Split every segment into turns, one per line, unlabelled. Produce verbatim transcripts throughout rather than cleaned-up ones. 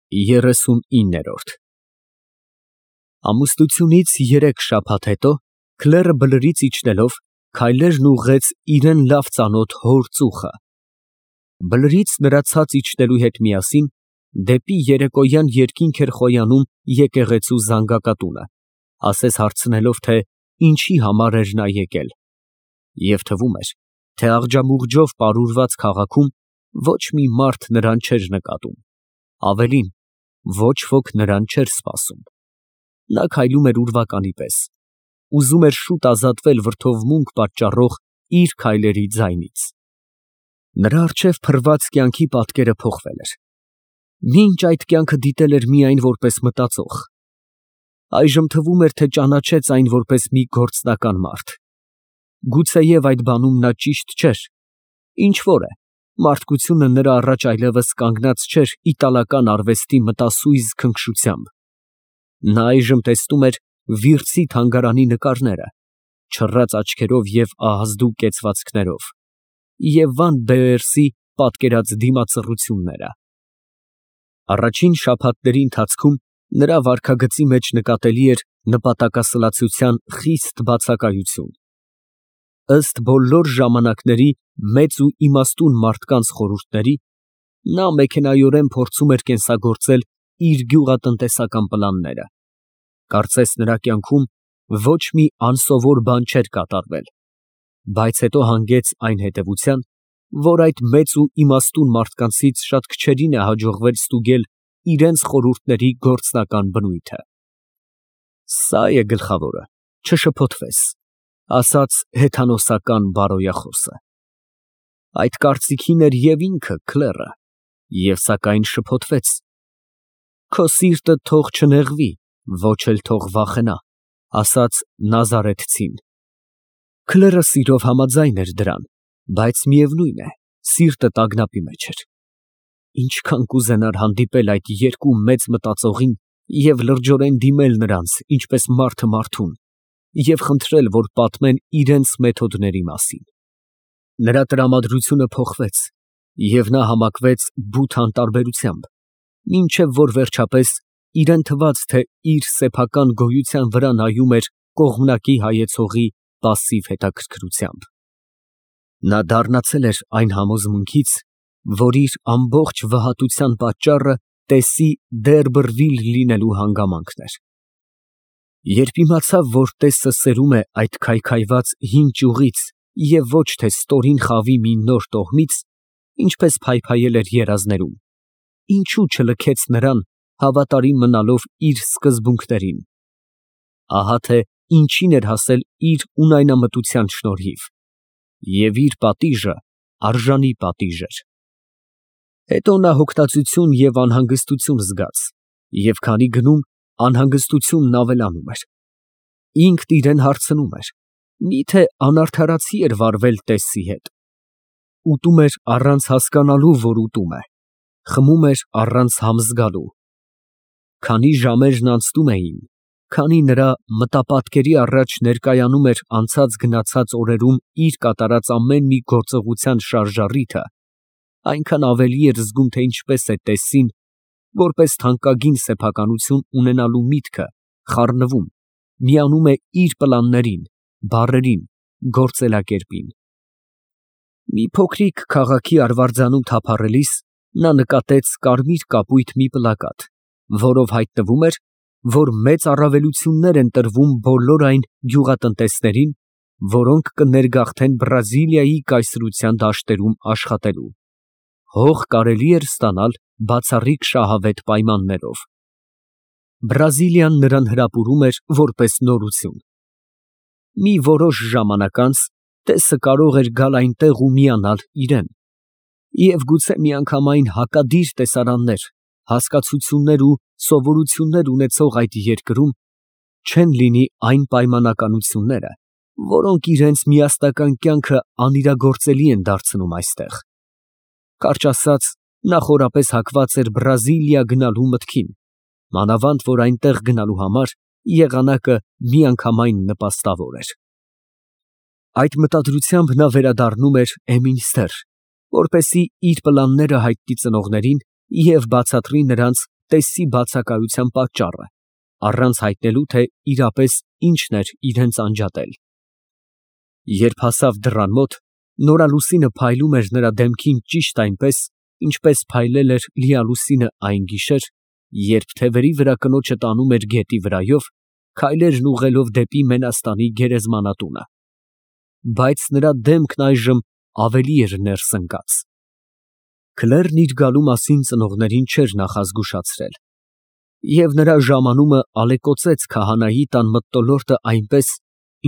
Երեսունիններորդ Ամուսնությունից երեք շաբաթ հետո Քլերը բլրից իջնելով քայլերն ուղղեց իրան լավ ծանոթ հոր ծուխը, բլրից նրա ցած իջնելու հետ միասին դեպի երեկոյան երկինք էր խոյանում եկեղեցու զանգակատունը, ասես հարցնելով, թե ինչի համար էր նա եկել, և թվում էր, թե աղջամուղջով պարուրված քաղաքում ոչ մի մարդ նրան չէր նկատում, ավելին, ոչ ոք նրան չէր սպասում, նա քայլում էր ուրվականի պես, ուզում էր շուտ ազատվել վրդովմունք պատճառող իր քայլերի ձայնից, նրա առջև փռված կյանքի պատկերը փոխվել էր, մինչ այդ կյանքը դիտել էր միայն որպես մտածող, այժմ թվում էր, թե ճանաչեց այն որպես մի գործնական մարդ, գուցեև այդ բանում նա ճիշտ չէր, ինչ֊որ է, մարդկությունը նրա առաջ այլևս կանգնած չէր իտալական արվեստի մտասույզ քնքշությամբ, նա այժմ տեսնում էր Վիրցի թանգարանի նկարները, չռած աչքերով և ահազդու կեցվածքներով, և Վան Բեերսի պատկերած դիմացռությունները, առաջին շաբաթների ընթացքում նրա վարքագծի մեջ նկատելի էր նպատակասլացության խիստ բացակայություն, ըստ բոլոր ժամանակների մեծ ու իմաստուն մարդկանց խորհուրդների, նա մեքենայորեն փորձում էր կենսագործել իր գյուղատնտեսական պլանները, կարծես նրա կյանքում ոչ մի անսովոր բան չէր կատարվել, բայց հետո հանգեց այն հետևության, որ այդ մեծ ու իմաստուն մարդկանցից շատ քչերին է հաջողվել ստուգել իրենց խորհուրդների գործնական բնույթը։ Սա է գլխավորը, չշփոթվես, ասաց հեթանոսական բարոյախոսը։ Այդ կարծիքին էր և ինքը Քլերը, և սակայն շփոթվեց։ Քո սիրտը թող չնեղվի, ոչ էլ թող վախենա, ասաց նազարեթցին։ Քլերը սիրով համաձայն էր դրան, բայց միևնույն է, սիրտը տագնապի մեջ էր։ Ինչքան կուզենար հանդիպել այդ երկու մեծ մտածողին և լրջորեն դիմել նրանց, ինչպես մարդը մարդուն, և խնդրել, որ պատմեն իրենց մեթոդների մասին։ Նրա տրամադրությունը փոխվեց, և նա համակվեց բութ անտարբերությամբ, մինչև որ վերջապես իրան թվաց, թե իր սեփական գոյության վրա նայում էր կողմնակի հայեցողի պասիվ հետաքրքրությամբ։ Նա դառնացել էր այն համոզմունքից, որ իր ամբողջ վհատության պատճառը տեսի Դերբըրվիլ լինելու հանգամանքն էր։ Երբ իմացավ, որ տեսը սերում է այդ քայքայված հին ճյուղից և ոչ թե ստորին խավի մի նոր տոհմից, ինչպես փայփայել էր երազներում, ինչո՞ւ չլքեց նրան, հավատարիմ մնալով իր սկզբունքներին։ Ահա թե ինչին էր հասել իր ունայնամտության շնորհիվ, և իր պատիժը արժանի պատիժ էր։ Հետո նա հոգնածություն և անհանգստություն զգաց, և քանի գնում, անհանգստությունն ավելանում էր։ Ինքն իրան հարցնում էր. միթե անարդարացի էր վարվել տեսի հետ։ Ուտում էր առանց հասկանալու, որ ուտում է, խմում էր առանց համ զգալու։ Քանի ժամերն անցնում էին, քանի նրա մտապատկերի առաջ ներկայանում էր անցած գնացած օրերում իր կատարած ամեն մի գործողության շարժառիթը, այնքան ավելի էր զգում, թե ինչպես է տեսին, որպես թանկագին սեփականություն ունենալու միտքը, խառնվում, միանում է իր պլաններին, բառերին, գործելակերպին։ Մի փոքրիկ քաղաքի արվարձանում թափառելիս նա նկատեց կարմիր կապույտ մի պլակատ, որով հայտնվում էր, որ մեծ առավելություններ են տրվում բոլոր այն գյուղատնտեսներին, որոնք կներգաղթեն Բրազիլիայի կայսրության դաշտերում աշխատելու։ Հող կարելի էր ստանալ բացառիկ շահավետ պայմաններով։ Բրազիլիան նրան հրապուրում էր որպես նորություն։ Մի որոշ ժամանակ անց տեսը կարող էր գալ այնտեղ ու միանալ իրան, և գուցե միանգամայն հակադիր տեսարաններ, հասկացություններ ու սովորություններ ունեցող այդ երկրում չեն լինի այն պայմանականությունները, որոնք իրենց միասնական կյանքը անիրագործելի են դարձնում այստեղ։ Կարճ ասած, նա խորապես հակված էր Բրազիլիա գնալու մտքին, մանավանդ որ այնտեղ գնալու համար եղանակը միանգամայն նպաստավոր էր։ Այդ մտադրությամբ նա վերադառնում էր Էմինստեր, որպեսզի իր պլանները հայտնի ծնողներին և բացատրի նրանց, տեսի բացակայության պատճառը, առանց հայտնելու, թե իրապես ինչն էր իրենց անջատել։ Երբ հասավ դռան մոտ, նորալուսինը փայլում էր նրա դեմքին ճիշտ այնպես, ինչպես փայլել էր լիալուսինը այն գիշեր, երբ թևերի վրա կնոջը տանում էր գետի վրայով, քայլերն ուղղելով դեպի Մենաստանի գերեզմանատունը։ Բայց նրա դեմքն այժմ ավելի էր ներս ընկած։ Քլերն իր գալու մասին ծնողներին չէր նախազգուշացրել, և նրա ժամանումը ալեկոծեց քահանայի տան մթնոլորտը այնպես,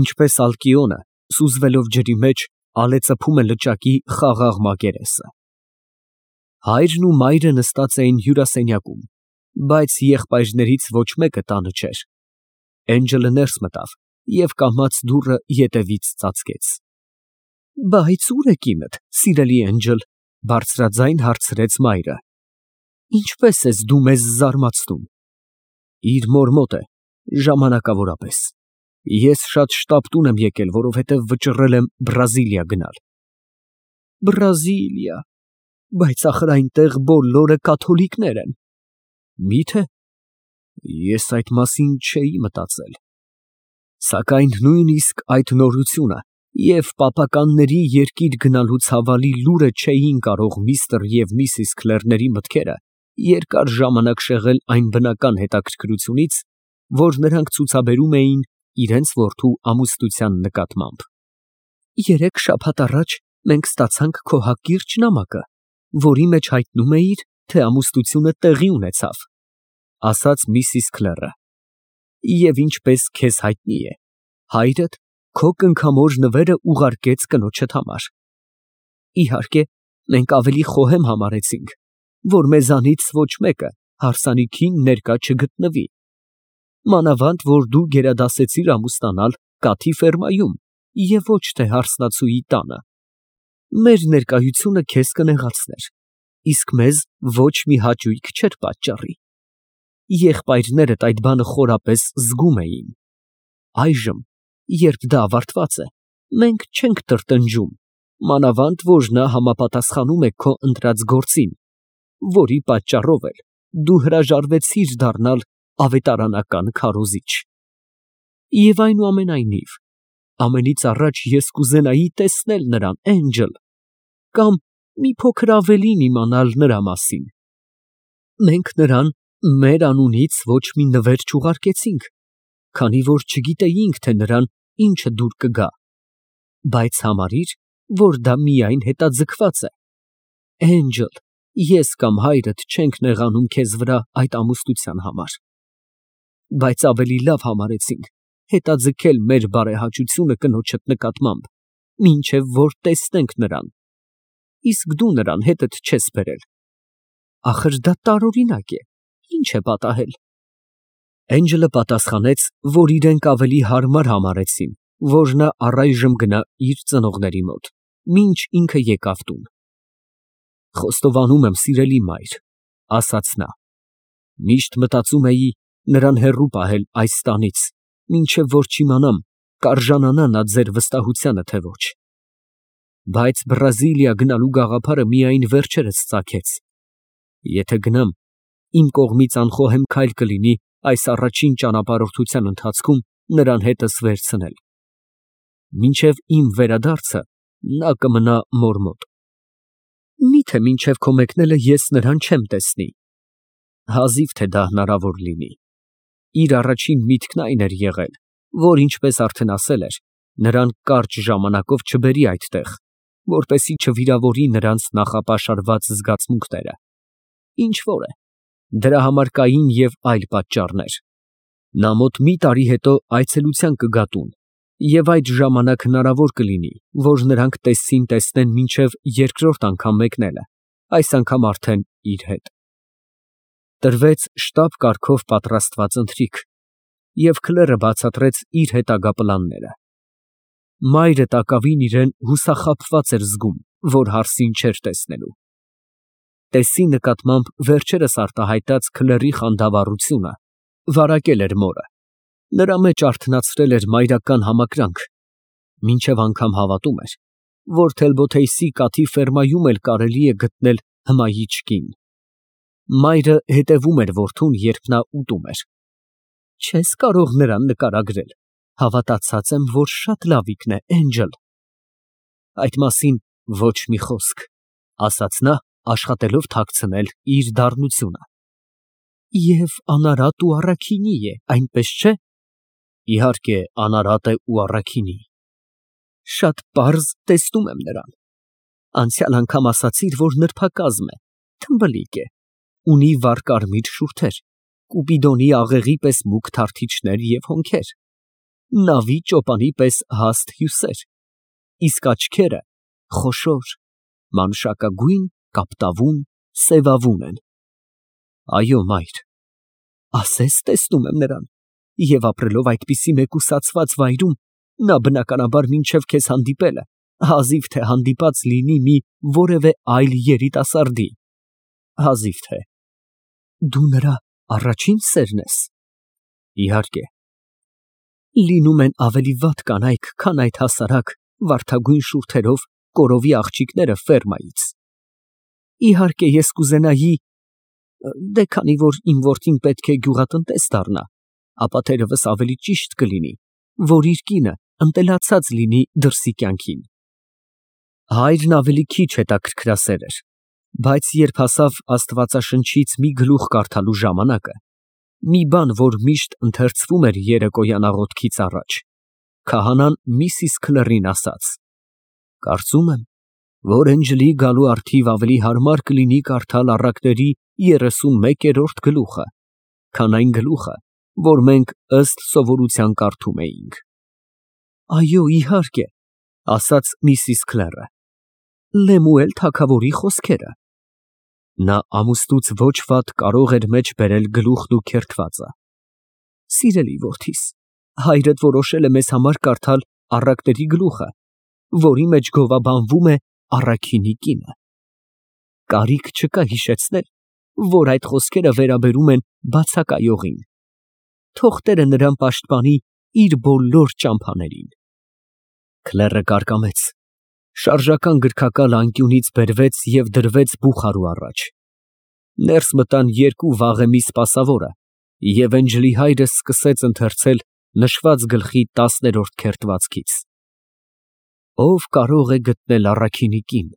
ինչպես Ալկիոնը, սուզվելով ջրի մեջ, ալեցփում է լճակի խաղաղ մակերեսը։ Հայրն ու մայրը նստած էին հյուրասենյակում, բայց եղբայրներից ոչ մեկը տանը չէր։ Էնջելը ներս մտավ և կամաց դուռը ետևից ծածկեց։ ֊ Բայց ո՞ւր է կինդ, սիրելի Էնջել, ֊ բարձրաձայն հարցրեց մայրը։ ֊ Ինչպե՞ս ես դու մեզ զարմացնում։ ֊ Իր մոր մոտ է, ժամանակավորապես։ Ես շատ շտապ տուն եմ եկել, որովհետև վճռել եմ Բրազիլիա գնալ։ ֊ Բրազիլիա… Բայց ախր այնտեղ բոլորը կաթոլիկներ են։ ֊ Մի՞թե։ Ես այդ մասին չէի մտածել։ Սակայն նույնիսկ այդ նորությունը և պապականների երկիր գնալու ցավալի լուրը չէին կարող միստր և միսիս Քլերների մտքերը երկար ժամանակ շեղել այն բնական հետաքրքրությունից, որ նրանք ցուցաբերում էին իրենց որդու ամուսնության նկատմամբ։ Երեք շաբաթ առաջ մենք ստացանք քո հակիրճ նամակը, որի մեջ հայտնում էիր, թե ամուսնությունը տեղի ունեցավ, ֊ ասաց միսիս Քլերը, ֊ և ինչպես քեզ հայտնի է, հայրդ քո կնքամոր նվերը ուղարկեց կնոջդ համար։ Իհարկե, մենք ավելի խոհեմ համարեցինք, որ մեզանից ոչ մեկը հարսանիքին ներկա չգտնվի, մանավանդ որ դու գերադասեցիր ամուսնանալ Կաթի ֆերմայում և ոչ թե հարսնացուի տանը։ Մեր ներկայությունը քեզ կնեղացներ, իսկ մեզ ոչ մի հաճույք չէր պատճառի։ Եղբայրներդ այդ բանը խորապես զգում էին։ Այժմ, երբ դա ավարտված է, մենք չենք տրտնջում, մանավանդ որ նա համապատասխանում է քո ընտրած գործին, որի պատճառով էլ դու հրաժարվեցիր դառնալ ավետարանական քարոզիչ։ Եվ այնուամենայնիվ, ամենից առաջ ես կուզենայի տեսնել նրան, Էնջել, կամ մի փոքր ավելին իմանալ նրա մասին։ Մենք նրան մեր անունից ոչ մի նվեր չուղարկեցինք, քանի որ չգիտեինք, թե նրան ինչը դուր կգա, բայց համարիր, որ դա միայն հետաձգված է։ Էնջել, ես կամ հայրդ չենք նեղանում քեզ վրա այդ ամուսնության համար, բայց ավելի լավ համարեցինք հետաձգել մեր բարեհաճությունը կնոջդ նկատմամբ, մինչև որ տեսնենք նրան, իսկ դու նրան հետդ չես բերել։ Ախր դա տարօրինակ է, ինչ է պատահել։ Էնջելը պատասխանեց, որ իրենք ավելի հարմար համարեցին, որ նա առայժմ գնա իր ծնողների մոտ, մինչ ինքը եկավ տուն։ Խոստովանում եմ, սիրելի մայր, ֊ ասաց նա, ֊ միշտ մտածում էի նրան հեռու պահել այս տանից, մինչև որ չիմանամ, կարժանանա նա ձեր վստահությանը, թե ոչ։ Բայց Բրազիլիա գնալու գաղափարը միայն վերջերս ծագեց։ Եթե գնամ, իմ կողմից անխոհեմ քայլ կլինի այս առաջին ճանապարհորդության ընթացքում նրան հետս վերցնել։ Մինչև իմ վերադարձը նա կմնա մոր մոտ։ Մի՞թե մինչև քո մեկնելը ես նրան չեմ տեսնի։ Հազիվ թե դա հնարավոր լինի։ Իր առաջին միտքն այն էր եղել, որ ինչպես արդեն ասել էր, նրան կարճ ժամանակով չբերի այդտեղ, որպեսզի չվիրավորի նրանց նախապաշարված զգացմունքները։ Ինչ որ է, դրա համար կային և այլ պատճառներ։ Նա մոտ մի տարի հետո այցելության կգա տուն, և այդ ժամանակ հնարավոր կլինի, որ նրանք տեսցին֊տեսնեն մինչև երկրորդ անգամ մեկնելը, այս անգամ արդեն իր հետ։ Տրվեց շտապ կարգով պատրաստված ընթրիք, և Քլերը բացատրեց իր հետագա պլանները։ Մայրը տակավին իրեն հուսախաբված էր զգում, որ հարսին չէր տեսնելու։ Տեսի նկատմամբ վերջերս արտահայտած Քլերի խանդավառությունը վարակել էր մորը, նրա մեջ արթնացրել էր մայրական համակրանք, մինչև անգամ հավատում էր, որ Թելբոթեյսի Կաթի ֆերմայում էլ կարելի է գտնել հմայիչ կին։ Մայրը հետևում էր որդուն, երբ նա ուտում էր։ Չես կարող նրան նկարագրել, հավատացած եմ, որ շատ լավիկն է, Էնջլ։ Այդ մասին ոչ մի խոսք, ասաց նա, աշխատելով թաքցնել իր դառնությունը։ Եվ անարատ ու առաքինի է, այնպես չէ։ Իհարկե, անարատ է ու առաքինի։ Շատ պարզ տեսնում եմ նրան։ Անցյալ անգամ ասացիր, որ նրբակազմ է, թմբլիկ է, ունի վառ կարմիր շուրթեր, Կուպիդոնի աղեղի պես մուգ թարթիչներ և հոնքեր, նավի ճոպանի պես հաստ հյուսեր, իսկ աչքերը խոշոր, մանուշակագույն, կապտավուն, սևավուն են։ Այո, մայր, ասես տեսնում եմ նրան, և ապրելով այդպիսի մեկուսացված վայրում, նա բնականաբար մինչև քեզ հանդիպելը, հազիվ թե հանդիպած լինի մի որևէ այլ երիտասարդի, հազիվ թե։ Դու նրա առաջին սերն ես։ Իհարկե։ Լինում են ավելի վատ կանայք, քան այդ հասարակ, վարդագույն շուրթերով կորովի աղջիկները ֆերմայից։ Իհարկե, ես կուզենայի, դե քանի որ իմ որդին պետք է գյուղատնտես դառնա, ապա թերևս ավելի ճիշտ կլինի, որ իր կինը ընտելացած լինի դրսի կյանքին։ Հայրն ավելի քիչ հետաքրքրասեր էր, բայց երբ հասավ Աստվածաշնչից մի գլուխ կարդալու ժամանակը, մի բան, որ միշտ ընթերցվում էր երեկոյան աղոթքից առաջ, քահանան միսիս Քլերին ասաց. Կարծում եմ, որ Էնջլի գալու առթիվ ավելի հարմար կլինի կարդալ առակների երեսունմեկերորդ գլուխը, քան այն գլուխը, որ մենք ըստ սովորության կարդում էինք։ Այո, իհարկե, ասաց միսիս Քլերը, Լեմուել թագավորի խոսքերը։ Նա ամուսնուց ոչ վատ կարող էր մեջ բերել գլուխն ու քերթվածը։ Սիրելի որդիս, հայրդ որոշել է մեզ համար կարդալ առակների գլուխը, որի մեջ գովաբանվում է առաքինի կինը։ Կարիք չկա հիշեցնել, որ այդ խոսքերը վերաբերում են բացակայողին։ Թող Տերը նրան պաշտպանի իր բոլոր ճամփաներին։ Քլերը կարկամեց, շարժական գրքակալ անկյունից բերվեց և դրվեց բուխարու առաջ։ Ներս մտան երկու վաղեմի սպասավորը, և Էնջլի հայրը սկսեց ընթերցել նշված գլխի տասներորդ քերթվածքից։ Ով կարող է գտնել առաքինի կին,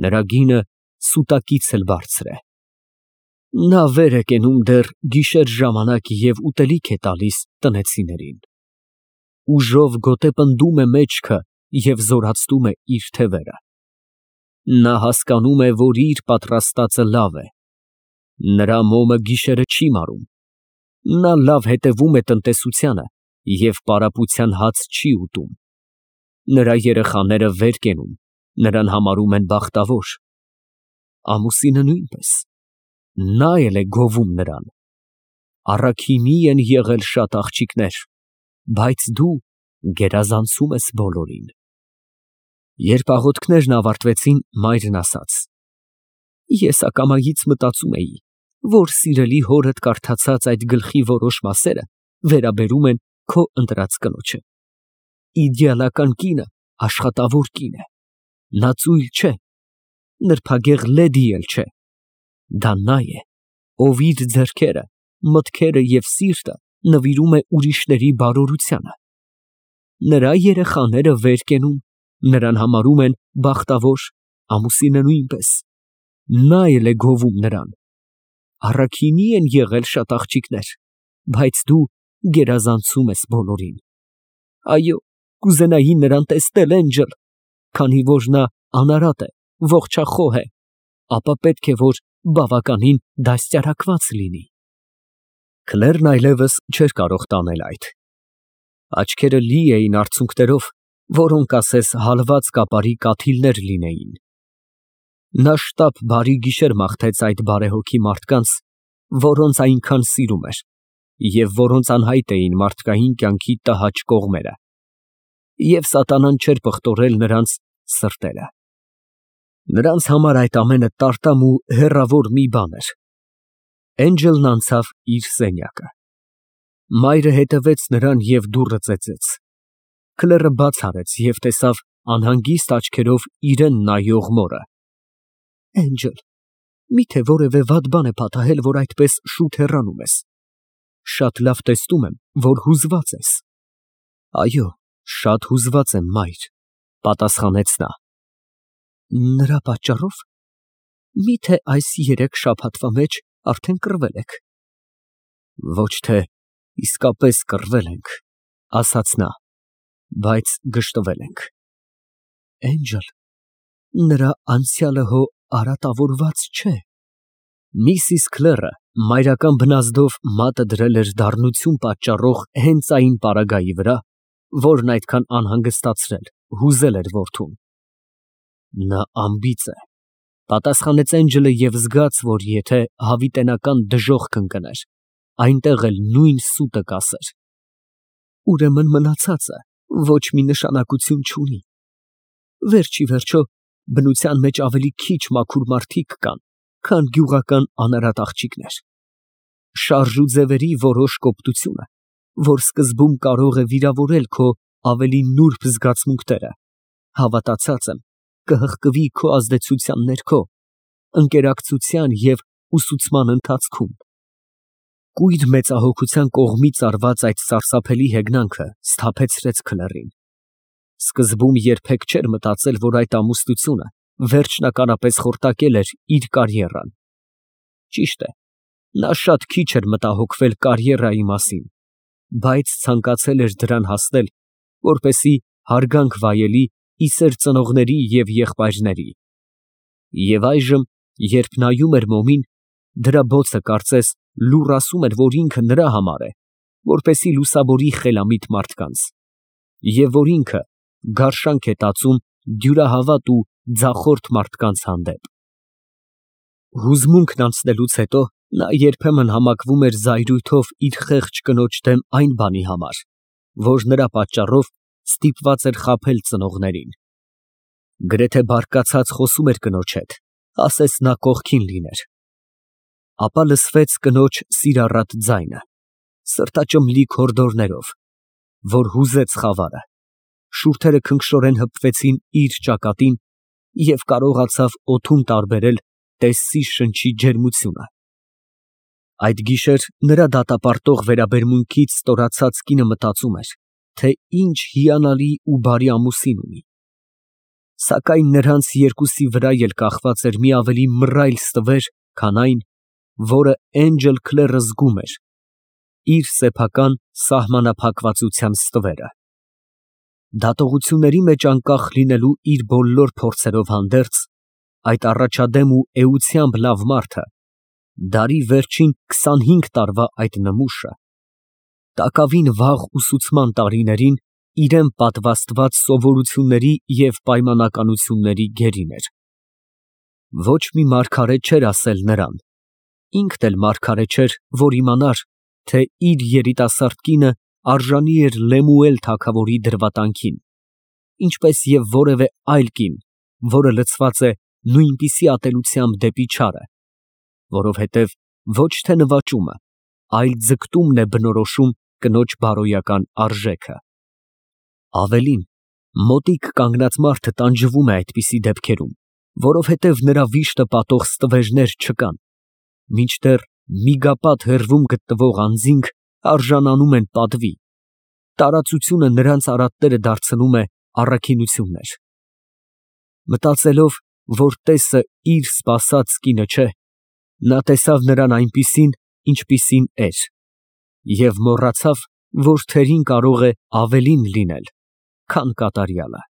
նրա գինը սուտակից էլ բարձր է։ Նա վեր է կենում դեռ գիշեր ժամանակ և ուտելիք է տալիս տնեցիներին։ Ուժով գոտեպնդում է մեջքը և զորացնում է իր թևերը։ Նա հասկանում է, որ իր պատրաստածը լավ է։ Նրա մոմը գիշերը չի մարում։ Նա լավ հետևում է տնտեսությանը և պարապության հաց չի ուտում։ Նրա երեխաները վեր կենում, նրան համարում են բախտավոր։ Ամուսինը նույնպես, նա էլ է գովում նրան։ Առաքինի են եղել շատ աղջիկներ, բայց դու գերազանցում ես բոլորին։ Երբ աղոթքներն ավարտվեցին, մայրն ասաց. Ես ակամայից մտածում էի, որ սիրելի հորդ կարդացած այդ գլխի որոշ մասերը վերաբերում են քո ընտրած կնոջը։ Իդեալական կինը աշխատավոր կին է։ Նա ծույլ չէ, նրբագեղ լեդի էլ չէ։ Դա նա է, ով իր ձեռքերը, մտքերը և սիրտը նվիրում է ուրիշների բարօրությանը։ Նրա երեխաները վեր կենում, նրան համարում են բախտավոր, ամուսինը նույնպես։ Նա էլ է գովում նրան։ Առաքինի են եղել շատ աղջիկներ, բայց դու գերազանցում ես բոլորին։ Այո, կուզենայի նրան տեսնել, Էնջլ, քանի որ նա անարատ է, ողջախոհ է, ապա պետք է, որ բավականին դաստիարակված լինի։ Քլերն այլևս չէր կարող տանել այդ։ Աչքերը լի էին արցունքներով, որոնք ասես հալված կապարի կաթիլներ լինեին։ Նա շտապ բարի գիշեր մաղթեց այդ բարեհոգի մարդկանց, որոնց այնքան սիրում էր, և որոնց անհայտ էին մարդկային կյանքի տհաճ կողմերը, և սատանան չէր պղտորել նրանց սրտերը։ Նրանց համար այդ ամենը տարտամ ու հեռավոր մի բան էր։ Էնջլն անցավ իր սենյակը։ Մայրը հետևեց նրան և դուռը ծեծեց։ Քլերը բաց արեց և տեսավ անհանգիստ աչքերով իրան նայող մորը։ Էնջլ, Միթե որևէ վատ բան է պատահել, որ այդպես շուտ հեռանում ես։ Շատ լավ տեսնում եմ, որ հուզված ես։ Այո, շատ հուզված եմ, մայր, պատասխանեց նա։ Նրա պատճառով։ Միթե այս երեք շաբաթվա մեջ արդեն կռվել եք։ Ոչ թե իսկապես կռվել ենք, ասաց նա, բայց գժտվել ենք։ Էնջել, նրա անցյալը հո արատավորված չէ։ Միսիս Քլերը մայրական բնազդով մատը դրել էր դառնություն պատճառող հենց այն պարագայի վրա, որն այդքան անհանգստացրել, հուզել էր որդուն։ Նա անբիծ է, պատասխանեց Էնջելը և զգաց, որ եթե հավիտենական դժոխք կընկներ, այնտեղ էլ նույն սուտը կասեր։ Ուրեմն մնացածը ոչ մի նշանակություն չունի։ Վերջ ի վերջո, բնության մեջ ավելի քիչ մաքուր մարդիկ կան, քան գյուղական անարատ աղջիկներ։ Շարժ ու ձևերի որոշ կոպտությունը, որ սկզբում կարող է վիրավորել քո ավելի նուրբ զգացմունքները, հավատացած եմ, կհղկվի քո ազդեցության ներքո, ընկերակցության և ուսուցման ընթացքում։ Կույր մեծահոգության կողմից արված այդ սարսափելի հեգնանքը սթափեցրեց Քլերին։ Սկզբում երբեք չէր մտածել, որ այդ ամուսնությունը վերջնականապես խորտակել էր իր կարիերան։ Ճիշտ է, նա շատ քիչ էր մտահոգվել կարիերայի մասին, բայց ցանկացել էր դրան հասնել, որպեսզի հարգանք վայելի ի սեր ծնողների և եղբայրների։ Եվ այժմ, երբ նայում էր մոմին, դրա բոցը կարծես լուռ ասում էր, որ ինքը նրա համար է, որպեսզի լուսավորի խելամիտ մարդկանց, և որ ինքը գարշանք է տածում դյուրահավատ ու ձախորդ մարդկանց հանդեպ։ Հուզմունքն անցնելուց հետո նա երբեմն համակվում էր զայրույթով իր խեղճ կնոջ դեմ այն բանի համար, որ նրա պատճառով ստիպված էր խաբել ծնողներին։ Գրեթե բարկացած խոսում էր կնոջ հետ, ասես նա կողքին լիներ։ Ապա լսվեց կնոջ սիրառատ ձայնը, սրտաճմլիկ հորդորներով, որ հուզեց խավարը, շուրթերը քնքշորեն հպվեցին իր ճակատին և կարողացավ օդում տարբերել տեսսի շնչի ջերմությունը։ Այդ գիշեր նրա դատապարտող վերաբերմունքից ստորացած կինը մտածում էր, թե ինչ հիանալի ու բարի ամուսին ունի։ Սակայն նրանց երկուսի վրա էլ կախված էր մի ավելի մռայլ ստվեր, քան այն, որը Էնջել Քլերը զգում էր, իր սեփական սահմանափակվածության ստվերը։ Դատողությունների մեջ անկախ լինելու իր բոլոր փորձերով հանդերձ, այդ առաջադեմ ու էությամբ լավ մարդը, դարի վերջին քսանհինգ տարվա այդ նմուշը, տակավին վաղ ուսուցման տարիներին իրան պատվաստված սովորությունների և պայմանականությունների գերին էր։ Ոչ մի մարգարե չէր ասել նրան, ինքն էլ մարգարե չէր, որ իմանար, թե իր երիտասարդ կինը արժանի էր Լեմուել թագավորի դրվատանքին, ինչպես և որևէ այլ կին, որը լցված է նույնպիսի ատելությամբ դեպի չարը, որովհետև ոչ թե նվաճումը, այլ ձգտումն է բնորոշում կնոջ բարոյական արժեքը։ Ավելին, մոտիկ կանգնած մարդը տանջվում է այդպիսի դեպքերում, որովհետև նրա վիշտը պատող ստվերներ չկան, մինչդեռ միգապատ հեռվում գտնվող անձինք արժանանում են պատվի, տարածությունը նրանց արատները դարձնում է առաքինություններ։ Մտածելով, որ տեսը իր սպասած կինը չէ, նա տեսավ նրան այնպիսին, ինչպիսին էր, և մոռացավ, որ թերին կարող է ավելին լինել, քան կատարյալը։